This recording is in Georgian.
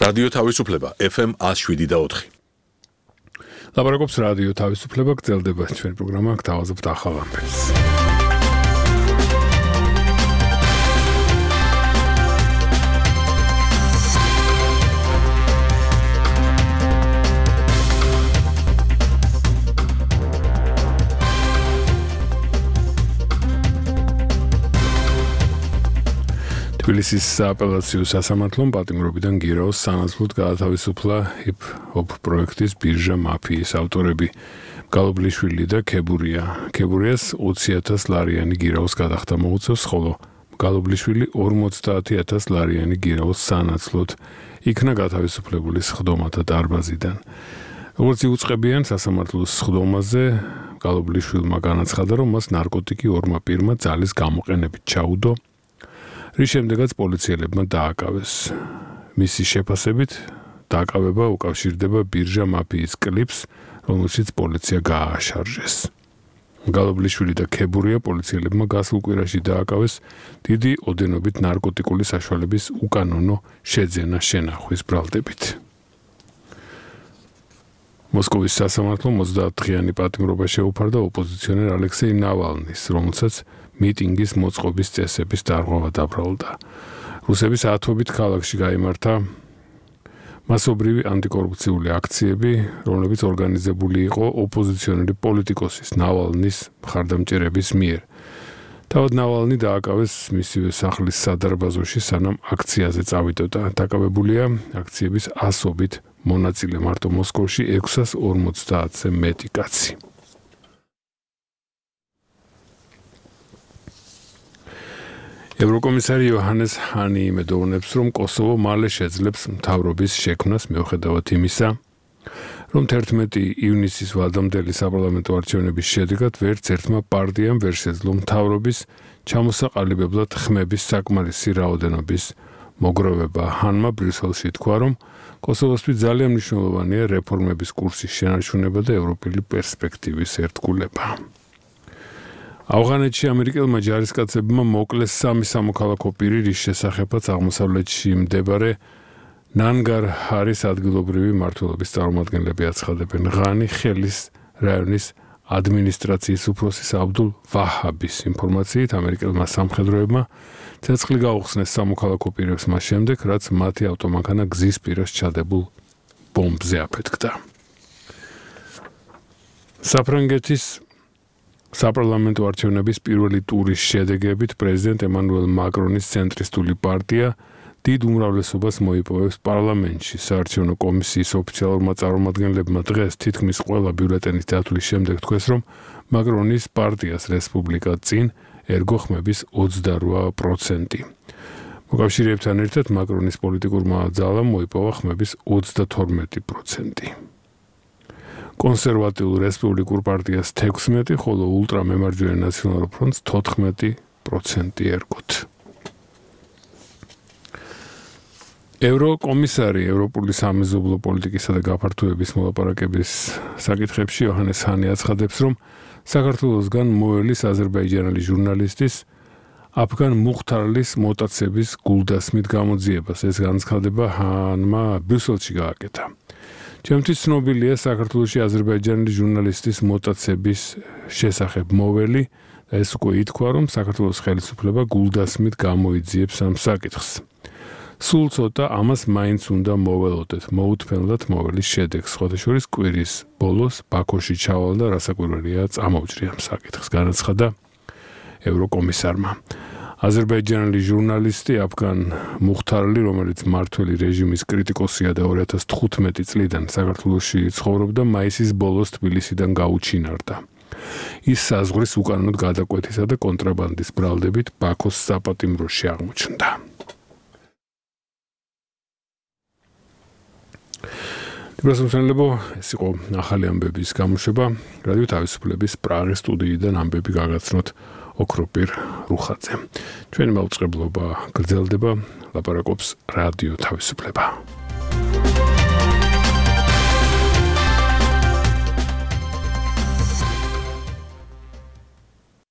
რადიო თავისუფლება FM 107.4. ლაპარაკობს რადიო თავისუფლება, გრძელდება ჩვენი პროგრამა, გთავაზობთ ახალ ამბებს. თბილისის სააპელაციო სასამართლომ პატიმრობიდან გირაოს სანაცვლოდ გაათავისუფლა ჰიპ-ჰოპ პროექტის ბირჟა მაფიის ავტორები გალობლიშვილი და ქებურია. ქებურიას 20,000 ლარიანი გირაოს გადახდა მოუწევს, ხოლო გალობლიშვილი 50,000 ლარიანი გირაოს სანაცვლოდ იქნა გათავისუფლებული სხდომათა დარბაზიდან. როგორც იუწყებიან სასამართლოს სხდომაზე, გალობლიშვილმა განაცხადა, რომ მას ნარკოტიკი ორმა პირმა ძალის გამოყენებით ჩაუდო, რის შემდეგაც პოლიციელებმა დააკავეს. მისი შეფასებით, დააკავება უკავშირდება ბირჟა მაფიის კლიპს, რომელშიც პოლიცია გააშარჟეს. გალობლიშვილი და ქებურია პოლიციელებმა გასულ კვირაში დააკავეს დიდი ოდენობით ნარკოტიკული საშუალების უკანონო შეძენა შენახვის ბრალდებით. მოსკოვის სასამართლომ 30-დღიანი პატიმრობა შეუფარდა ოპოზიციონერ ალექსეი ნავალნის, რომელსაც მიტინგის მოწყობის წესების დარღვევა დაბრალდა. რუსების ათობით ქალაქში გაიმართა მასობრივი ანტიკორუფციული აქციები, რომლებიც ორგანიზებული იყო ოპოზიციონერი პოლიტიკოსის ნავალნის მხარდამჭერების მიერ. თავად ნავალნი დააკავეს მისივე სახლის სადარბაზოში, სანამ აქციაზე წავიდოდა. დაკავებულია აქციების ასობით მონაწილე, მარტო მოსკოვში 650-ზე მეტი კაცი. ევროკომისარი იოჰანეს ჰანი იმედოვნებს, რომ კოსოვო მალე შეძლებს მთავრობის შექმნას მიუხედავად იმისა, რომ 11 ივნისის ვადამდელი საპარლამენტო არჩევნების შედეგად ვერც ერთმა პარტიამ ვერ შეძლო მთავრობის ჩამოსაყალიბებლად ხმების საკმარისი რაოდენობის მოგროვება. ჰანმა ბრიუსელში თქვა, რომ კოსოვოსთვის ძალიან მნიშვნელოვანია რეფორმების კურსის შენარჩუნება და ევროპელი პერსპექტივის ერთგულება. ავღანეთში ამერიკელმა ჯარისკაცებმა მოკლეს 3 სამოქალაქო პირი, რის შესახებაც აღმოსავლეთში მდებარე ნანგარჰარის ადგილობრივი მმართველობის წარმომადგენლები აცხადებენ. ღანი ხელის რაიონის ადმინისტრაციის უფროსის აბდულ ვაჰაბის ინფორმაციით, ამერიკელმა სამხედროებმა ცეცხლი გაუხსნეს სამოქალაქო პირებს მას შემდეგ, რაც მათი ავტომანქანა გზის პირას ჩადებულ ბომბზე აფეთქდა. საფრანგეთის საპარლამენტო არჩევნების პირველი ტურის შედეგებით პრეზიდენტ ემანუელ მაკრონის ცენტრისტული პარტია დიდ უმრავლესობას მოიპოვებს პარლამენტში. საარჩევნო კომისიის ოფიციალურმა წარმომადგენლებმა დღეს თითქმის ყველა ბიულეტენის დათვლის შემდეგ თქვეს, რომ მაკრონის პარტიას რესპუბლიკა წინ ერგო ხმების 28%. მოკავშირეებთან ერთად მაკრონის პოლიტიკურმა ძალამ მოიპოვა ხმების 32%. კონსერვატიულ რესპუბლიკურ პარტიას 16, ხოლო ულტრამემარჯვენე ნაციონალურ ფრონტს 14% ერგოთ. ევროკომისარი ევროპული სამეზობლო პოლიტიკისა და გაფართოების მოლაპარაკების საკითხებში იოჰანეს ჰანი აცხადებს, რომ საქართველოსგან მოელის აზერბაიჯანელი ჟურნალისტის აფგან მუხთარლის მოტაცების გულდასმით გამოძიებას. ეს განცხადება ჰანმა ბრიუსელში გააკეთა. ჩემთვის ცნობილია საქართველოში აზერბაიჯანელი ჟურნალისტის მოტაცების შესახებ მოველი და ეს უკვე ითქვა, რომ საქართველოს ხელისუფლება გულდასმით გამოიძიებს ამ საკითხს. სულ ცოტა ამას მაინც უნდა მოველოდეთ, მოუთმენლად მოველის შედეგს. სხვადასხვა კვირის ბოლოს ბაქოში ჩავალ და რასაკვირველია წამოვჭრი ამ საკითხს, განაცხადა ევროკომისარმა. აზერბაიჯანელი ჟურნალისტი აფგან მუხთარლი, რომელიც მმართველი რეჟიმის კრიტიკოსია და 2015 წლიდან საქართველოში ცხოვრობდა, მაისის ბოლოს თბილისიდან გაუჩინარდა. ის საზღვრის უკანონოდ გადაკვეთისა და კონტრაბანდის ბრალდებით ბაქოს საპატიმროში აღმოჩნდა. პრესამშენლებო, ეს იყო ახალი ამბების გამოშვება. რადიო თავისუფლების პრაღის სტუდიიდან ამბები გაგაცნოთ ოქროპირ რუხაძე. ჩვენი მაუწყებლობა გრძელდება, ლაპარაკობს რადიო თავისუფლება.